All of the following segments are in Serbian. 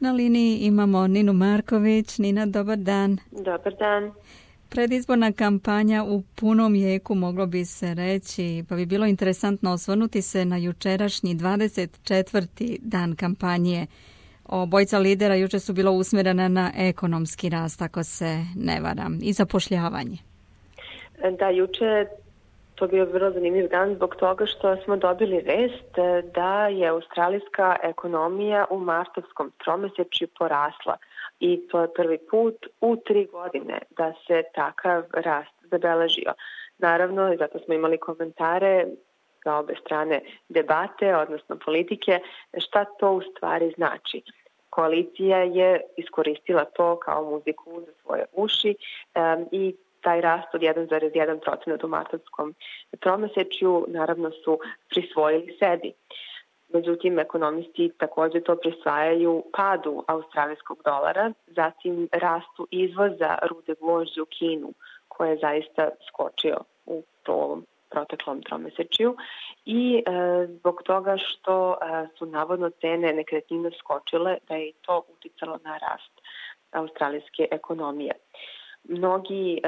Na liniji imamo Ninu Marković. Nina, dobar dan. Dobar dan. Predizborna kampanja u punom jeku, moglo bi se reći, pa bi bilo interesantno osvrnuti se na jučerašnji 24. dan kampanje. Obojica lidera juče su bila usmjerena na ekonomski rast, ako se ne varam, i zapošljavanje. Da, juče to bio vrlo zanimljiv dan zbog toga što smo dobili vest da je australijska ekonomija u martovskom tromesečju porasla i to je prvi put u 3 godine da se takav rast zabeležio. Naravno, zato smo imali komentare za obe strane debate, odnosno politike, šta to u stvari znači. Koalicija je iskoristila to kao muziku za svoje uši i taj rast od 1,1% u martovskom tromesečju naravno su prisvojili sebi. Međutim, ekonomisti također to prisvajaju padu australijskog dolara, zatim rastu izvoza rude gvožđa u Kinu, koja je zaista skočio u ovom proteklom tromesečju i zbog toga što su navodno cene nekretnina skočile, da je i to uticalo na rast australijske ekonomije. Mnogi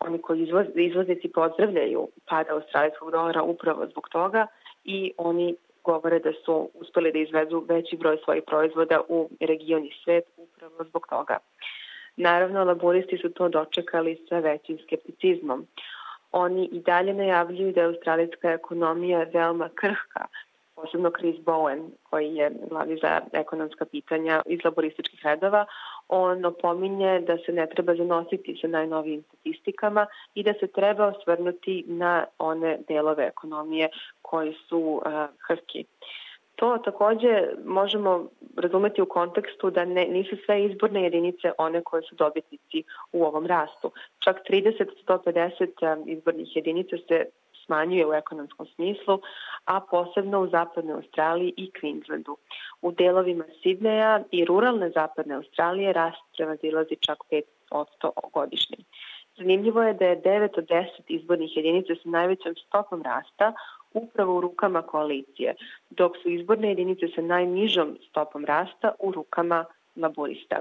oni koji izvoznici pozdravljaju pad australijskog dolara upravo zbog toga i oni govore da su uspeli da izvezu veći broj svojih proizvoda u region i svet upravo zbog toga. Naravno, laburisti su to dočekali sa većim skepticizmom. Oni i dalje najavljuju da je australijska ekonomija veoma krhka, posebno Chris Bowen, koji je glavni za ekonomska pitanja iz laborističkih redova. On opominje da se ne treba zanositi sa najnovijim statistikama i da se treba osvrnuti na one delove ekonomije koji su krhki. To također možemo razumeti u kontekstu da nisu sve izborne jedinice one koje su dobitnici u ovom rastu. Čak 30-150 izbornih jedinica se smanjuje u ekonomskom smislu, a posebno u zapadnoj Australiji i Queenslandu. U delovima Sidneja i ruralne zapadne Australije rast prevazilazi čak 5% godišnje. Zanimljivo je da je 9 od 10 izbornih jedinica sa najvećom stopom rasta upravo u rukama koalicije, dok su izborne jedinice sa najnižom stopom rasta u rukama laborista.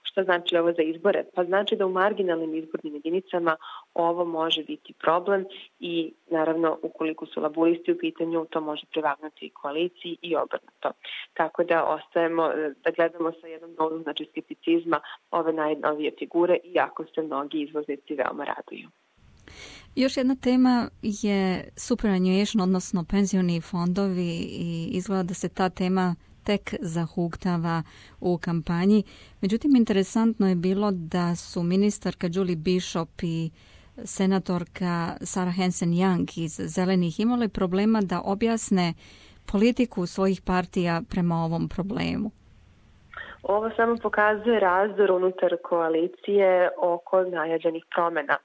Šta znači ovo za izbore? Pa znači da u marginalnim izbornim jedinicama ovo može biti problem i naravno ukoliko su laboristi u pitanju to može prevagnuti koaliciji i obrnuto. Tako da ostajemo da gledamo sa jednom dozom skepticizma ove najnovije figure iako se mnogi izvoznici veoma raduju. Još jedna tema je superannuation, odnosno penzioni fondovi i izgleda da se ta tema tek zahuktava u kampanji. Međutim, interesantno je bilo da su ministarka Julie Bishop i senatorka Sarah Hanson-Young iz Zelenih imali problema da objasne politiku svojih partija prema ovom problemu. Ovo samo pokazuje razdor unutar koalicije oko najavljenih promjena.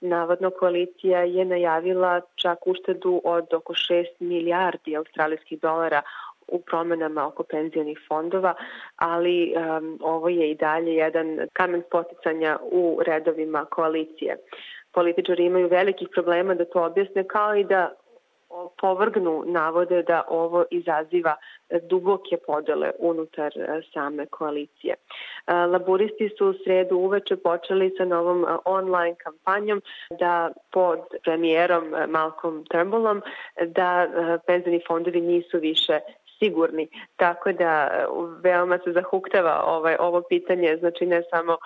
Navodno koalicija je najavila čak uštedu od oko 6 milijardi australijskih dolara u promjenama oko penzionih fondova, ali ovo je i dalje jedan kamen spoticanja u redovima koalicije. Političari imaju velikih problema da to objasne, kao i da povrgnu navode da ovo izaziva duboke podele unutar same koalicije. Laburisti su u sredu uveče počeli sa novom online kampanjom da pod premijerom Malcolm Turnbullom da penzioni fondovi nisu više sigurni, tako da veoma se zahuktava ovo pitanje, znači ne samo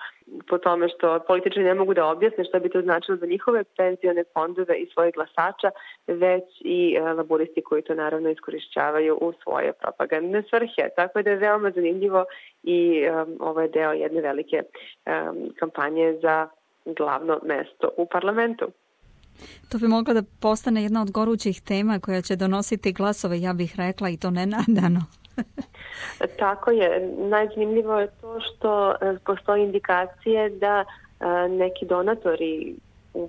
po tome što političari ne mogu da objasne što bi to značilo za njihove penzione fondove i svojih glasača, već i laboristi koji to naravno iskorišćavaju u svoje propagandne svrhe. Tako da je veoma zanimljivo i ovo je deo jedne velike kampanje za glavno mesto u parlamentu. To bi mogla da postane jedna od gorućih tema koja će donositi glasove, ja bih rekla, i to nenadano. Tako je. Najzanimljivo je to što postoji indikacije da neki donatori,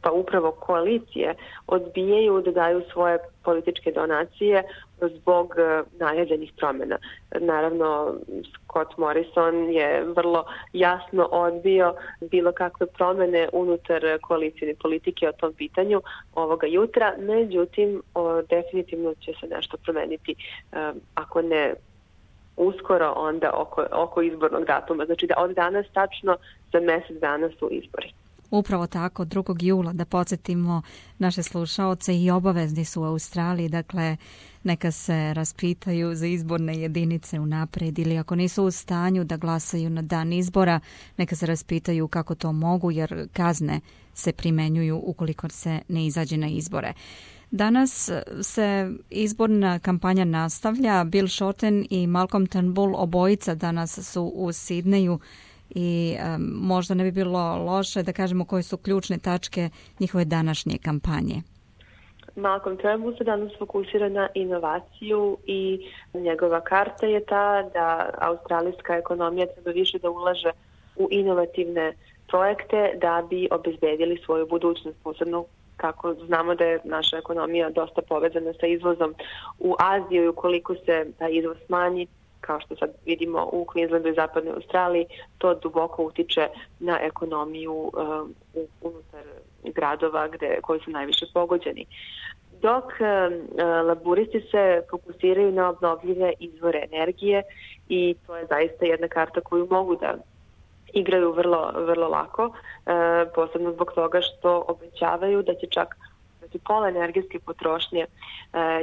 pa upravo koalicije, odbijaju da daju svoje političke donacije zbog najavljenih promjena. Naravno, Scott Morrison je vrlo jasno odbio bilo kakve promjene unutar koalicijne politike o tom pitanju ovoga jutra, međutim, definitivno će se nešto promeniti, ako ne uskoro onda oko izbornog datuma. Znači da od danas tačno za mjesec dana su izbori. Upravo tako, 2. jula, da podsjetimo naše slušaoce, i obavezni su u Australiji, dakle neka se raspitaju za izborne jedinice unaprijed, ili ako nisu u stanju da glasaju na dan izbora, neka se raspitaju kako to mogu, jer kazne se primenjuju ukoliko se ne izađe na izbore. Danas se izborna kampanja nastavlja. Bill Shorten i Malcolm Turnbull, obojica danas su u Sidneju, i možda ne bi bilo loše da kažemo koje su ključne tačke njihove današnje kampanje. Malcolm Turnbull se danas fokusira na inovaciju i njegova karta je ta da australijska ekonomija treba više da ulaže u inovativne projekte da bi obezbedili svoju budućnost, posebno kako znamo da je naša ekonomija dosta povezana sa izvozom u Aziju i ukoliko se taj izvoz smanji, kao što sad vidimo u Queenslandu i zapadnoj Australiji, to duboko utiče na ekonomiju unutar gradova koji su najviše pogođeni. Dok laburisti se fokusiraju na obnovljive izvore energije i to je zaista jedna karta koju mogu da igraju vrlo, vrlo lako, posebno zbog toga što obećavaju da će čak pola energetske potrošnje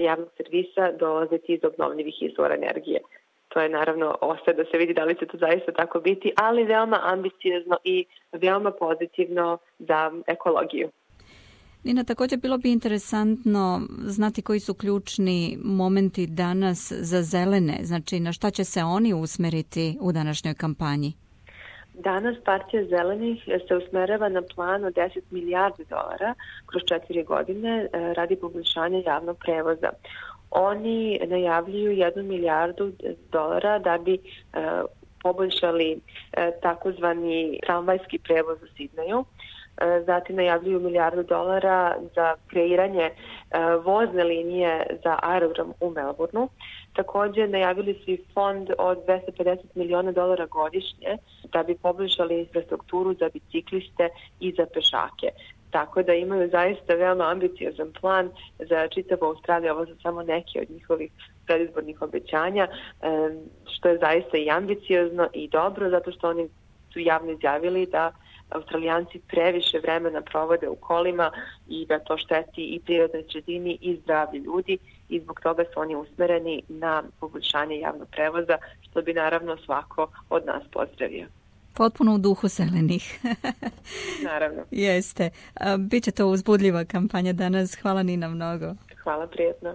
javnog servisa dolaziti iz obnovljivih izvora energije. To je naravno ostaje da se vidi da li će to zaista tako biti, ali veoma ambiciozno i veoma pozitivno za ekologiju. Nina, također bilo bi interesantno znati koji su ključni momenti danas za zelene, znači na šta će se oni usmeriti u današnjoj kampanji? Danas partija zelenih se usmerava na plan od 10 milijardi dolara kroz 4 godine radi poboljšanja javnog prevoza. Oni najavljuju 1 milijardu dolara da bi poboljšali takozvani tramvajski prevoz u Sidneju. Zatim najavljuju 1 milijardu dolara za kreiranje vozne linije za aerodrom u Melbourneu. Također najavili su i fond od 250 miliona dolara godišnje da bi poboljšali infrastrukturu za bicikliste i za pešake. Tako da imaju zaista veoma ambiciozan plan za čitavu Australiju. Ovo su samo neki od njihovih predizbornih obećanja, što je zaista i ambiciozno i dobro, zato što oni su javno izjavili da Australijanci previše vremena provode u kolima i da to šteti i prirodnoj sredini i zdravlju ljudi i zbog toga su oni usmereni na poboljšanje javnog prevoza, što bi naravno svako od nas pozdravio. Potpuno u duhu zelenih. Naravno. Jeste. Biće to uzbudljiva kampanja danas. Hvala Nina mnogo. Hvala, prijetno.